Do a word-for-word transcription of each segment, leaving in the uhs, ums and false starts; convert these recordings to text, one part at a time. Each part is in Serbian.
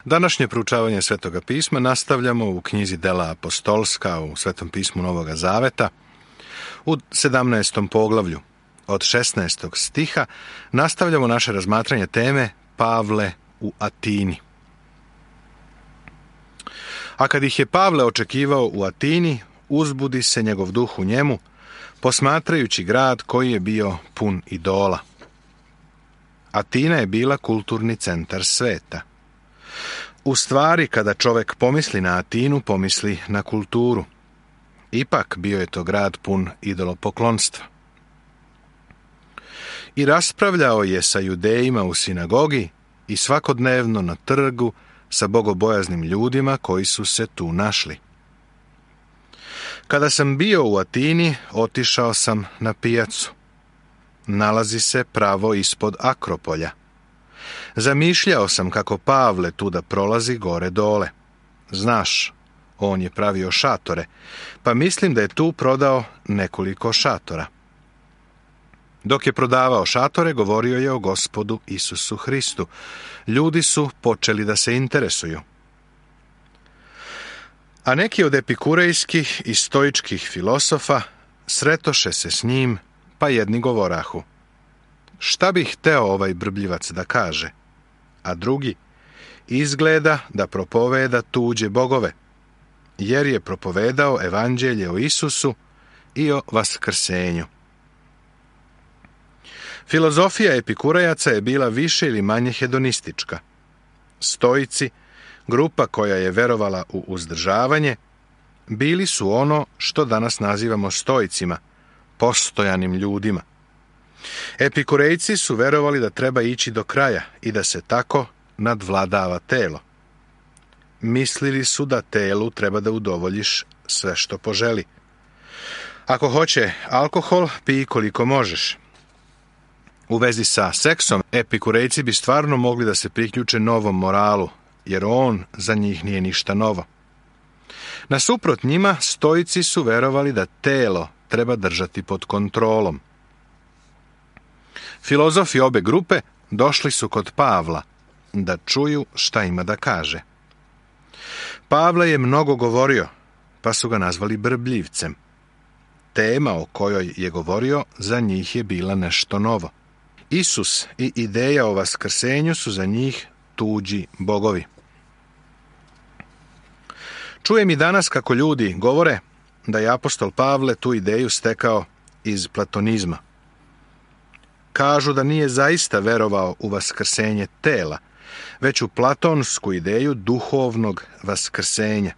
Današnje proučavanje Svetoga pisma nastavljamo u knjizi Dela apostolska u Svetom pismu Novoga Zaveta. U sedamnaestom poglavlju od šesnaestog stiha nastavljamo naše razmatranje teme Pavle u Atini. A kad ih je Pavle očekivao u Atini, uzbudi se njegov duh u njemu, posmatrajući grad koji je bio pun idola. Atina je bila kulturni centar sveta. U stvari, kada čovjek pomisli na Atinu, pomisli na kulturu. Ipak bio je to grad pun idolopoklonstva. I raspravljao je sa judejima u sinagogi i svakodnevno na trgu sa bogobojaznim ljudima koji su se tu našli. Kada sam bio u Atini, otišao sam na pijacu. Nalazi se pravo ispod Akropolja. Zamišljao sam kako Pavle tuda prolazi gore dole. Znaš, on je pravio šatore, pa mislim da je tu prodao nekoliko šatora. Dok je prodavao šatore, govorio je o Gospodu Isusu Hristu. Ljudi su počeli da se interesuju. A neki od epikurejskih i stoičkih filosofa sretoše se s njim, pa jedni govorahu: šta bi hteo ovaj brbljivac da kaže? A drugi: izgleda da propoveda tuđe bogove, jer je propovedao evanđelje o Isusu i o vaskrsenju. Filozofija epikurejaca je bila više ili manje hedonistička. Stoici, grupa koja je verovala u uzdržavanje, bili su ono što danas nazivamo stoicima, postojanim ljudima. Epikurejci su verovali da treba ići do kraja i da se tako nadvladava telo. Mislili su da telu treba da udovoljiš sve što poželi. Ako hoće alkohol, pij koliko možeš. U vezi sa seksom, epikurejci bi stvarno mogli da se priključe novom moralu, jer on za njih nije ništa novo. Nasuprot njima, stoici su verovali da telo treba držati pod kontrolom. Filozofi obe grupe došli su kod Pavla da čuju šta ima da kaže. Pavle je mnogo govorio, pa su ga nazvali brbljivcem. Tema o kojoj je govorio za njih je bila nešto novo. Isus i ideja o vaskrsenju su za njih tuđi bogovi. Čujem i danas kako ljudi govore da je apostol Pavle tu ideju stekao iz platonizma. Kažu da nije zaista verovao u vaskrsenje tela, već u platonsku ideju duhovnog vaskrsenja.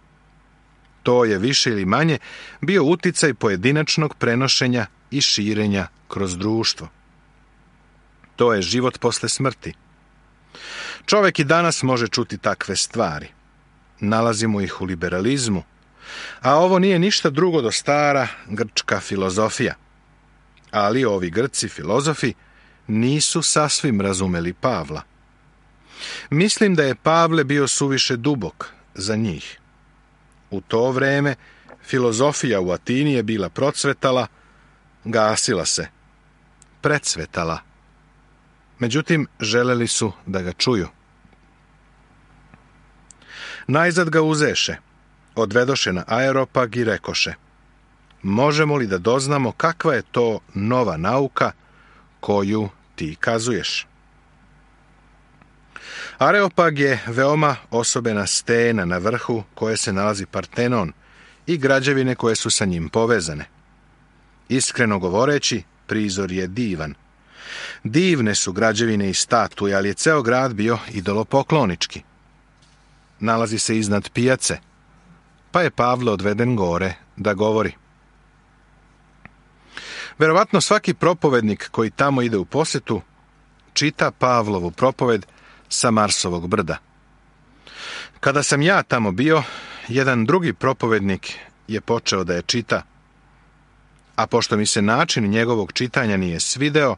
To je više ili manje bio uticaj pojedinačnog prenošenja i širenja kroz društvo. To je život posle smrti. Čovjek i danas može čuti takve stvari. Nalazimo ih u liberalizmu, a ovo nije ništa drugo do stara grčka filozofija. Ali ovi Grci filozofi nisu sasvim razumeli Pavla. Mislim da je Pavle bio suviše dubok za njih. U to vreme filozofija u Atini je bila procvetala, gasila se, precvetala. Međutim, želeli su da ga čuju. Najzad ga uzeše, odvedoše na Aeropag i rekoše: možemo li da doznamo kakva je to nova nauka koju ti kazuješ? Areopag je veoma osobena stena na vrhu koje se nalazi Partenon i građevine koje su sa njim povezane. Iskreno govoreći, prizor je divan. Divne su građevine i statue, ali je ceo grad bio idolopoklonički. Nalazi se iznad pijace, pa je Pavle odveden gore da govori. Verovatno svaki propovednik koji tamo ide u posetu čita Pavlovu propoved sa Marsovog brda. Kada sam ja tamo bio, jedan drugi propovednik je počeo da je čita, a pošto mi se način njegovog čitanja nije svideo,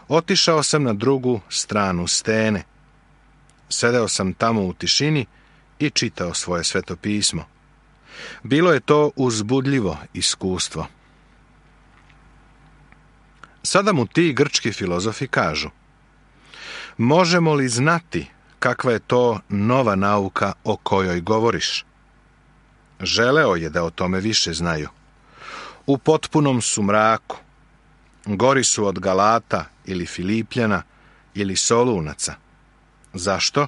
otišao sam na drugu stranu stene. Sedeo sam tamo u tišini i čitao svoje sveto pismo. Bilo je to uzbudljivo iskustvo. Sada mu ti grčki filozofi kažu: možemo li znati kakva je to nova nauka o kojoj govoriš. Želeo je da o tome više znaju. U potpunom su mraku. Gori su od Galata ili Filipljana ili Solunaca. Zašto?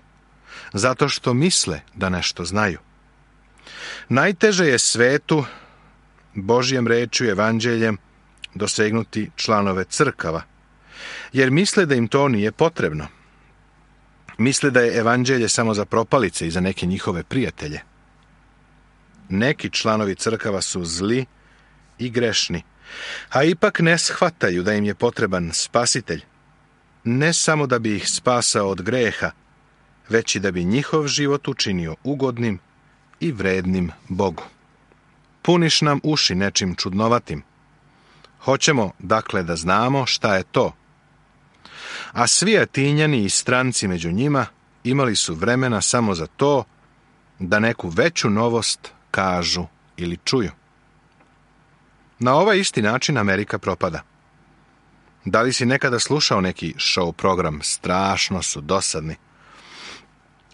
Zato što misle da nešto znaju. Najteže je svetu, Božjem rečju, evanđeljem, dosegnuti članove crkava, jer misle da im to nije potrebno. Misle da je evanđelje samo za propalice i za neke njihove prijatelje. Neki članovi crkava su zli i grešni, a ipak ne shvataju da im je potreban spasitelj, ne samo da bi ih spasao od greha, već i da bi njihov život učinio ugodnim i vrednim Bogu. Puniš nam uši nečim čudnovatim. Hoćemo, dakle, da znamo šta je to. A svi Atinjani i stranci među njima imali su vremena samo za to da neku veću novost kažu ili čuju. Na ovaj isti način Amerika propada. Da li si nekada slušao neki show program? Strašno su dosadni.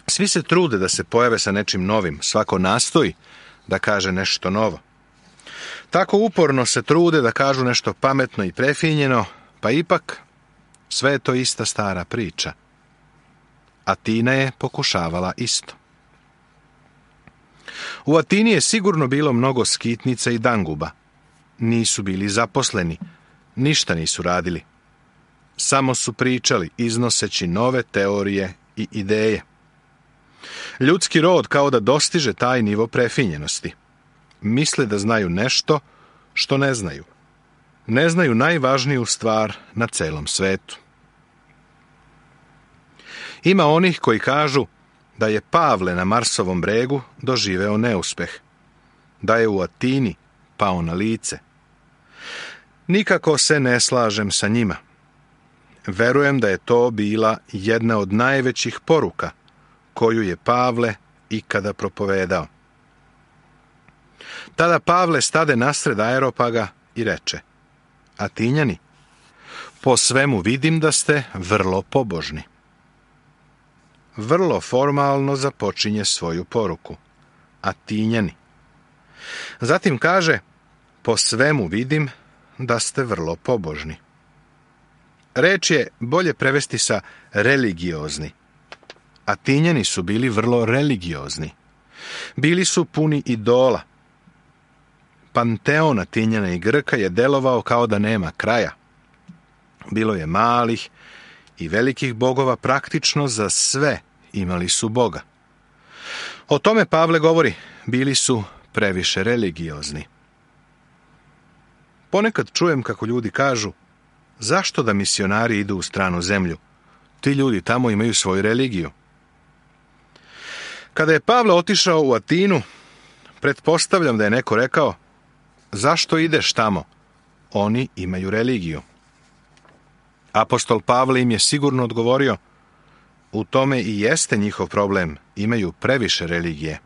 Svi se trude da se pojave sa nečim novim, svako nastoji da kaže nešto novo. Tako uporno se trude da kažu nešto pametno i prefinjeno, pa ipak sve je to ista stara priča. Atina je pokušavala isto. U Atini je sigurno bilo mnogo skitnica i danguba. Nisu bili zaposleni, ništa nisu radili. Samo su pričali, iznoseći nove teorije i ideje. Ljudski rod kao da dostiže taj nivo prefinjenosti. Misle da znaju nešto što ne znaju. Ne znaju najvažniju stvar na celom svetu. Ima onih koji kažu da je Pavle na Marsovom bregu doživeo neuspeh, da je u Atini pao na lice. Nikako se ne slažem sa njima. Verujem da je to bila jedna od najvećih poruka koju je Pavle ikada propovedao. Tada Pavle stade nasred Areopaga i reče: Atinjani, po svemu vidim da ste vrlo pobožni. Vrlo formalno započinje svoju poruku. Atinjani. Zatim kaže: po svemu vidim da ste vrlo pobožni. Reč je bolje prevesti sa religiozni. Atinjani su bili vrlo religiozni. Bili su puni idola. Panteon Atinjana i Grka je delovao kao da nema kraja. Bilo je malih i velikih bogova, praktično za sve imali su Boga. O tome Pavle govori, bili su previše religiozni. Ponekad čujem kako ljudi kažu: zašto da misionari idu u stranu zemlju? Ti ljudi tamo imaju svoju religiju. Kada je Pavle otišao u Atinu, pretpostavljam da je neko rekao: zašto ideš tamo? Oni imaju religiju. Apostol Pavle im je sigurno odgovorio: u tome i jeste njihov problem, imaju previše religije.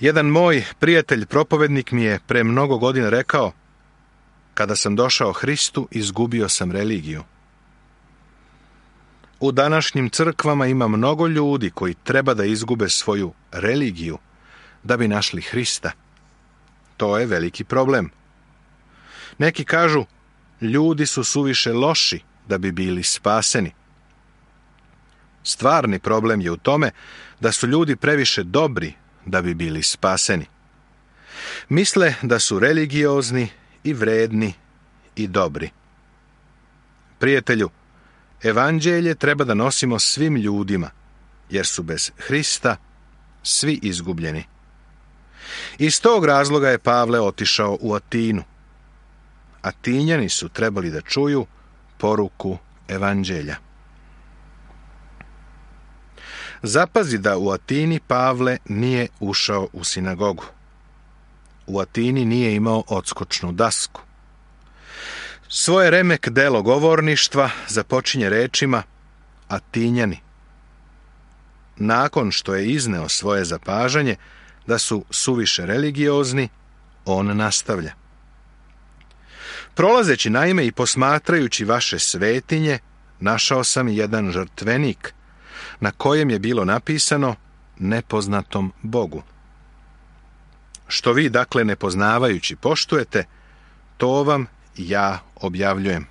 Jedan moj prijatelj propovednik mi je pre mnogo godina rekao: kada sam došao Hristu, izgubio sam religiju. U današnjim crkvama ima mnogo ljudi koji treba da izgube svoju religiju da bi našli Hrista. To je veliki problem. Neki kažu: ljudi su suviše loši da bi bili spaseni. Stvarni problem je u tome da su ljudi previše dobri da bi bili spaseni. Misle da su religiozni i vredni i dobri. Prijatelju, evanđelje treba da nosimo svim ljudima, jer su bez Hrista svi izgubljeni. Iz tog razloga je Pavle otišao u Atinu. Atinjani su trebali da čuju poruku evanđelja. Zapazi da u Atini Pavle nije ušao u sinagogu. U Atini nije imao odskočnu dasku. Svoje remek delo govorništva započinje rečima: Atinjani. Nakon što je izneo svoje zapažanje da su suviše religiozni, on nastavlja: prolazeći naime i posmatrajući vaše svetinje, našao sam jedan žrtvenik na kojem je bilo napisano nepoznatom Bogu. Što vi, dakle, nepoznavajući poštujete, to vam ja objavljujem.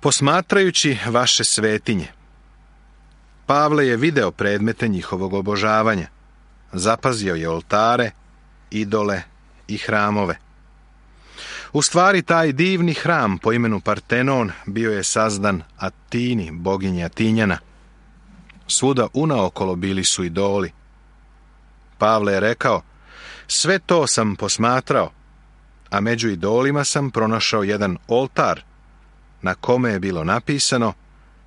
Posmatrajući vaše svetinje, Pavle je video predmete njihovog obožavanja, zapazio je oltare, idole i hramove. U stvari, taj divni hram po imenu Partenon bio je sazdan Atini, boginji Atinjana. Svuda unaokolo bili su idoli. Pavle je rekao, sve to sam posmatrao, a među idolima sam pronašao jedan oltar na kome je bilo napisano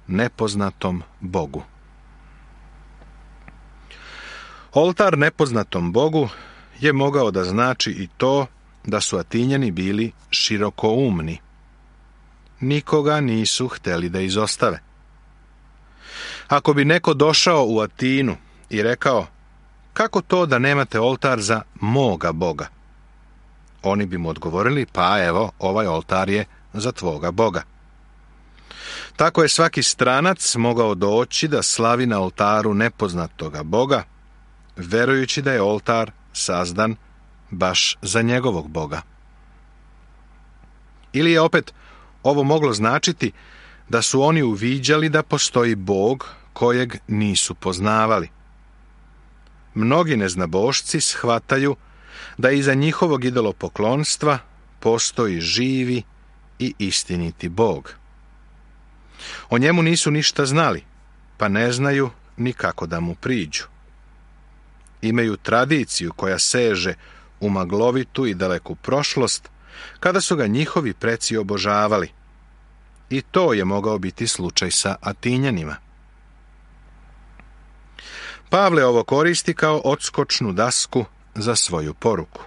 nepoznatom Bogu. Oltar nepoznatom Bogu je mogao da znači i to da su Atinjani bili širokoumni. Nikoga nisu hteli da izostave. Ako bi neko došao u Atinu i rekao, kako to da nemate oltar za moga Boga? Oni bi mu odgovorili, pa evo, ovaj oltar je za tvoga Boga. Tako je svaki stranac mogao doći da slavi na oltaru nepoznatoga Boga, verujući da je oltar sazdan baš za njegovog Boga. Ili je opet ovo moglo značiti da su oni uviđali da postoji Bog kojeg nisu poznavali. Mnogi neznabošci shvataju da iza njihovog idolopoklonstva postoji živi i istiniti Bog. O njemu nisu ništa znali, pa ne znaju ni kako da mu priđu. Imaju tradiciju koja seže u maglovitu i daleku prošlost, kada su ga njihovi preci obožavali. I to je mogao biti slučaj sa Atinjanima. Pavle ovo koristi kao odskočnu dasku za svoju poruku.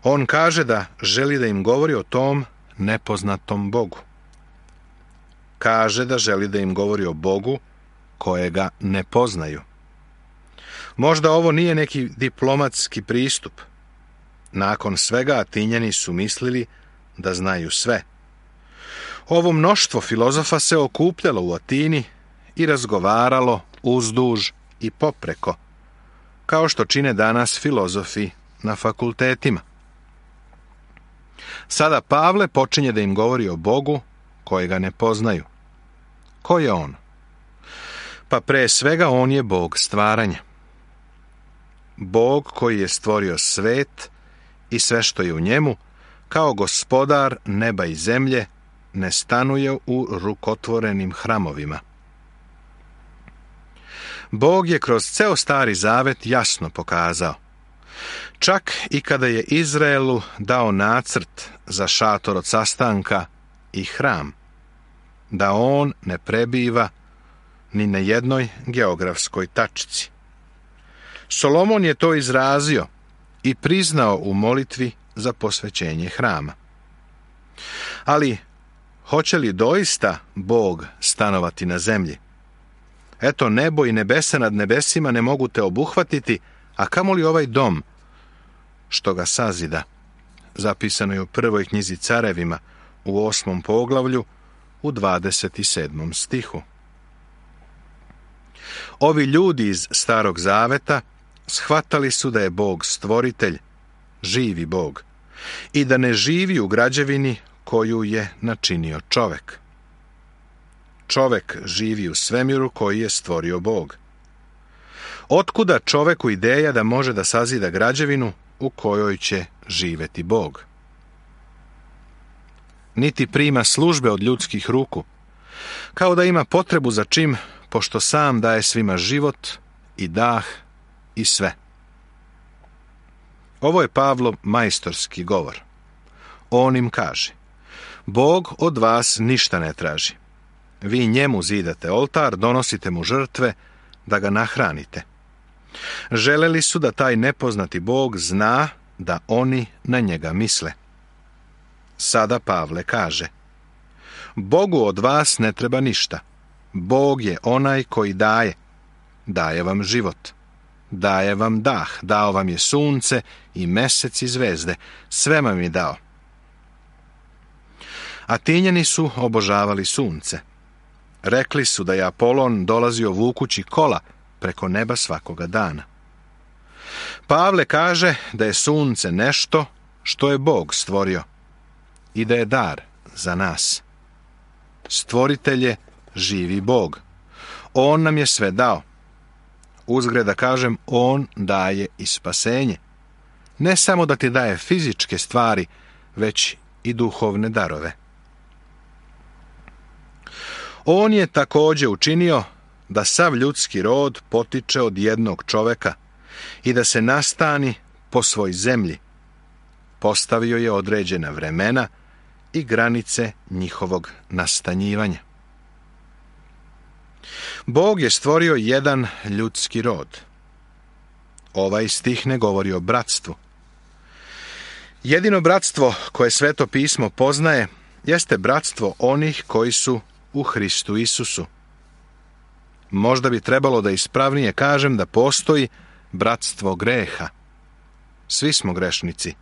On kaže da želi da im govori o tom nepoznatom Bogu. Kaže da želi da im govori o Bogu kojega ne poznaju. Možda ovo nije neki diplomatski pristup. Nakon svega Atinjani su mislili da znaju sve. Ovo mnoštvo filozofa se okupljalo u Atini i razgovaralo uzduž i popreko, kao što čine danas filozofi na fakultetima. Sada Pavle počinje da im govori o Bogu kojega ne poznaju. Ko je on? Pa pre svega on je Bog stvaranja. Bog koji je stvorio svet i sve što je u njemu, kao gospodar neba i zemlje, ne stanuje u rukotvorenim hramovima. Bog je kroz ceo Stari Zavet jasno pokazao, čak i kada je Izraelu dao nacrt za šator od sastanka i hram, da on ne prebiva ni na jednoj geografskoj tačci. Solomon je to izrazio i priznao u molitvi za posvećenje hrama. Ali, hoće li doista Bog stanovati na zemlji? Eto, nebo i nebesa nad nebesima ne mogu te obuhvatiti, a kamoli ovaj dom, što ga sazida. Zapisano je u prvoj knjizi Carevima, u osmom poglavlju, u dvadeset sedmom stihu. Ovi ljudi iz Starog Zaveta shvatali su da je Bog stvoritelj, živi Bog, i da ne živi u građevini koju je načinio čovek. Čovek živi u svemiru koji je stvorio Bog. Otkuda čoveku ideja da može da sazida građevinu u kojoj će živeti Bog? Niti prima službe od ljudskih ruku, kao da ima potrebu za čim, pošto sam daje svima život i dah i sve. Ovo je Pavlov majstorski govor. On im kaže, Bog od vas ništa ne traži. Vi njemu zidate oltar, donosite mu žrtve, da ga nahranite. Želeli su da taj nepoznati Bog zna da oni na njega misle. Sada Pavle kaže, Bogu od vas ne treba ništa. Bog je onaj koji daje. Daje vam život. Daje vam dah. Dao vam je sunce i mesec i zvezde. Sve vam je dao. Atinjani su obožavali sunce. Rekli su da je Apolon dolazio vukući kola preko neba svakoga dana. Pavle kaže da je sunce nešto što je Bog stvorio i da je dar za nas. Stvoritelj je živi Bog. On nam je sve dao. Uzgred da kažem, on daje i spasenje. Ne samo da ti daje fizičke stvari, već i duhovne darove. On je također učinio da sav ljudski rod potiče od jednog čoveka i da se nastani po svoj zemlji. Postavio je određena vremena i granice njihovog nastanjivanja. Bog je stvorio jedan ljudski rod. Ovaj stih ne govori o bratstvu. Jedino bratstvo koje Sveto pismo poznaje jeste bratstvo onih koji su u Hristu Isusu. Možda bi trebalo da ispravnije kažem da postoji bratstvo greha. Svi smo grešnici.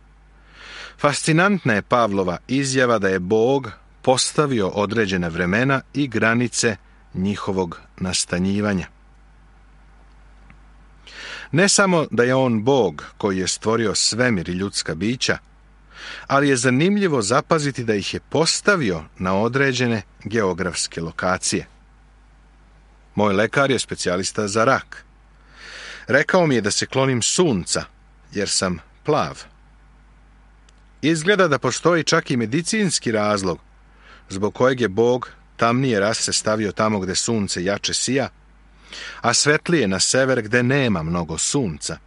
Fascinantna je Pavlova izjava da je Bog postavio određena vremena i granice njihovog nastanjivanja. Ne samo da je on Bog koji je stvorio svemir i ljudska bića, ali je zanimljivo zapaziti da ih je postavio na određene geografske lokacije. Moj lekar je specijalista za rak. Rekao mi je da se klonim sunca, jer sam plav. Izgleda da postoji čak i medicinski razlog zbog kojeg je Bog tamnije rase stavio tamo gde sunce jače sija, a svetlije na sever gde nema mnogo sunca.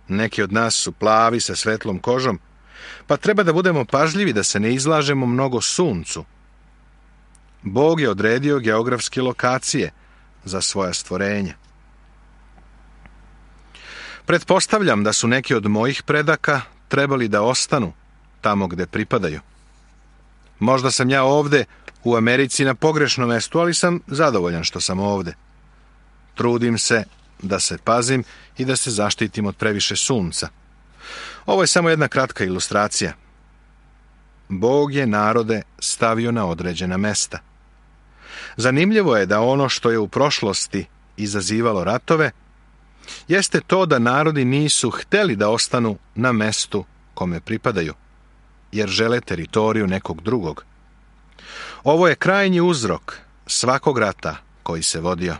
Neki od nas su plavi sa svetlom kožom, pa treba da budemo pažljivi da se ne izlažemo mnogo suncu. Bog je odredio geografske lokacije za svoja stvorenja. Pretpostavljam da su neki od mojih predaka trebali da ostanu tamo gde pripadaju. Možda sam ja ovde u Americi na pogrešnom mestu, ali sam zadovoljan što sam ovde. Trudim se da se pazim i da se zaštitim od previše sunca. Ovo je samo jedna kratka ilustracija. Bog je narode stavio na određena mesta. Zanimljivo je da ono što je u prošlosti izazivalo ratove, jeste to da narodi nisu hteli da ostanu na mestu kome pripadaju, jer žele teritoriju nekog drugog. Ovo je krajnji uzrok svakog rata koji se vodio.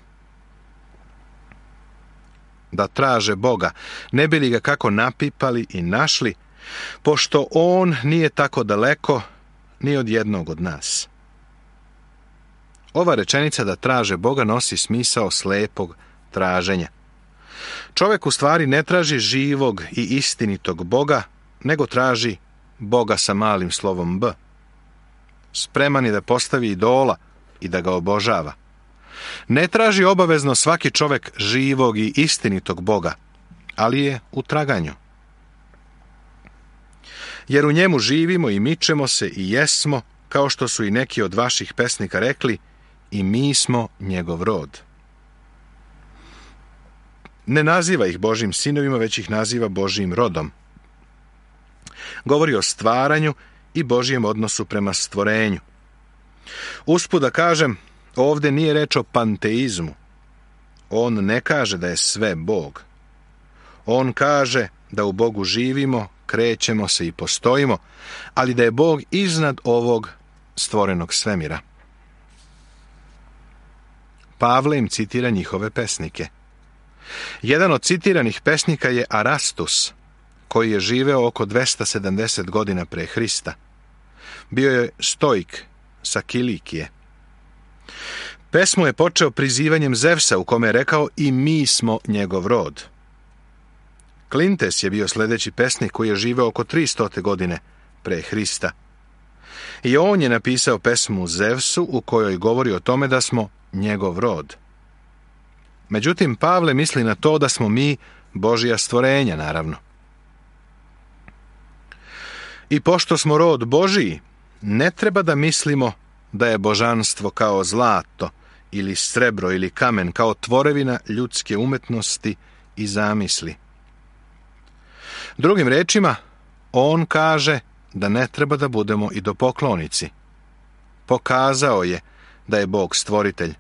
Da traže Boga, ne bi li ga kako napipali i našli, pošto on nije tako daleko ni od jednog od nas. Ova rečenica da traže Boga nosi smisao slepog traženja. Čovjek u stvari ne traži živog i istinitog Boga, nego traži Boga sa malim slovom B. Spreman je da postavi idola i da ga obožava. Ne traži obavezno svaki čovjek živog i istinitog Boga, ali je u traganju. Jer u njemu živimo i mičemo se i jesmo, kao što su i neki od vaših pesnika rekli, i mi smo njegov rod. Ne naziva ih Božjim sinovima, već ih naziva Božjim rodom. Govori o stvaranju i Božjem odnosu prema stvorenju. Usput da kažem, ovdje nije reč o panteizmu. On ne kaže da je sve Bog. On kaže da u Bogu živimo, krećemo se i postojimo, ali da je Bog iznad ovog stvorenog svemira. Pavle im citira njihove pesnike. Jedan od citiranih pesnika je Arastus, koji je živeo oko dvesta sedamdeset godina pre Hrista. Bio je stoik sa Kilikije. Pesmu je počeo prizivanjem Zevsa, u kome je rekao i mi smo njegov rod. Klintes je bio sljedeći pesnik koji je živeo oko tristo godine pre Hrista. I on je napisao pesmu Zevsu u kojoj govori o tome da smo njegov rod. Međutim, Pavle misli na to da smo mi Božja stvorenja, naravno. I pošto smo rod Božiji, ne treba da mislimo da je božanstvo kao zlato ili srebro ili kamen, kao tvorevina ljudske umetnosti i zamisli. Drugim rečima, on kaže da ne treba da budemo idolopoklonici, Pokazao je da je Bog stvoritelj.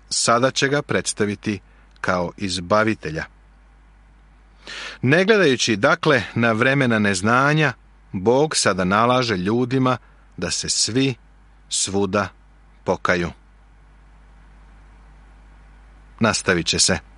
Sada će ga predstaviti kao izbavitelja. Ne gledajući dakle na vremena neznanja, Bog sada nalaže ljudima da se svi svuda pokaju. Nastavit će se.